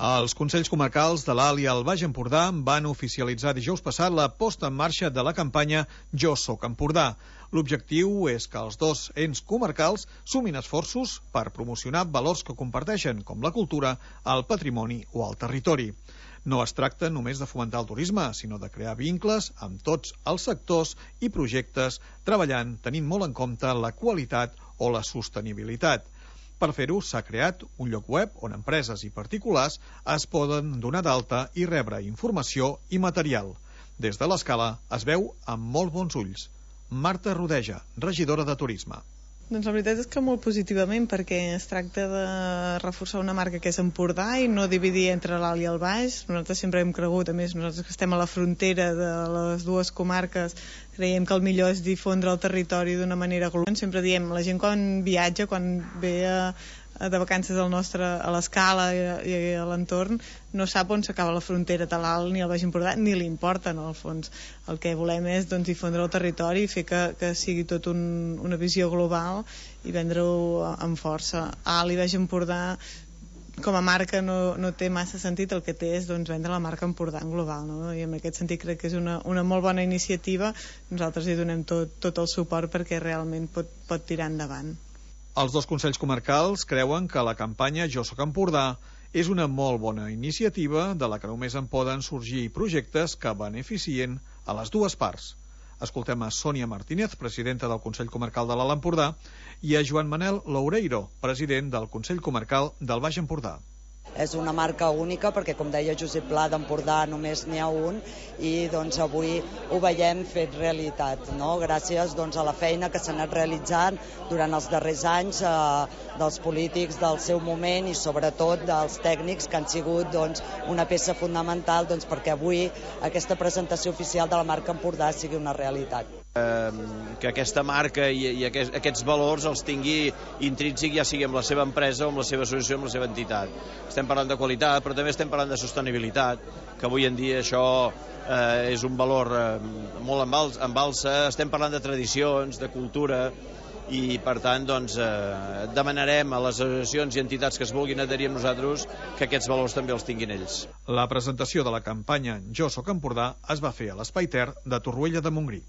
Els Consells Comarcals de l'Alt i el Baix Empordà van oficialitzar dijous passat la posta en marxa de la campanya Jo Soc Empordà. L'objectiu és que els dos ens comarcals sumin esforços per promocionar valors que comparteixen, com la cultura, el patrimoni o el territori. No es tracta només de fomentar el turisme, sinó de crear vincles amb tots els sectors i projectes, treballant tenint molt en compte la qualitat o la sostenibilitat. Per fer-ho, s'ha creat un lloc web on empreses i particulars es poden donar d'alta i rebre informació i material. Des de l'Escala es veu amb molt bons ulls. Marta Rodeja, regidora de Turisme. Doncs la veritat és que molt positivament, perquè es tracta de reforçar una marca que és Empordà i no dividir entre l'Alt i el Baix. Nosaltres sempre hem cregut, a més nosaltres que estem a la frontera de les dues comarques, creiem que el millor és difondre el territori d'una manera global. Sempre diem, la gent quan viatja, quan ve de vacances a l'Escala i a l'entorn, no sap on s'acaba la frontera de l'Alt ni el Baix Empordà, ni li importa, no, al fons. El que volem és difondre el territori i fer que sigui tot una visió global i vendre-ho amb força. Alt i Baix Empordà com a marca no té massa sentit, el que té és vendre la marca Empordà en global, no? I en aquest sentit crec que és una molt bona iniciativa. Nosaltres hi donem tot el suport perquè realment pot tirar endavant. Els dos Consells Comarcals creuen que la campanya Jo Soc Empordà és una molt bona iniciativa de la que només en poden sorgir projectes que beneficien a les dues parts. Escoltem a Sònia Martínez, presidenta del Consell Comarcal de l'Alt Empordà, i a Joan Manel Loureiro, president del Consell Comarcal del Baix Empordà. És una marca única perquè, com deia Josep Pla, d'Empordà només n'hi ha un i avui ho veiem fet realitat, no? Gràcies a la feina que s'ha anat realitzant durant els darrers anys dels polítics del seu moment i sobretot dels tècnics que han sigut una peça fonamental perquè avui aquesta presentació oficial de la marca Empordà sigui una realitat. Que aquesta marca i aquests valors els tingui intrínsec, ja sigui amb la seva empresa o amb la seva associació, amb la seva entitat. Estem parlant de qualitat, però també estem parlant de sostenibilitat, que avui en dia això és un valor molt en alça. Estem parlant de tradicions, de cultura, i per tant demanarem a les associacions i entitats que es vulguin adherir amb nosaltres que aquests valors també els tinguin ells. La presentació de la campanya Jo Soc Empordà es va fer a l'Espai Ter de Torroella de Montgrí.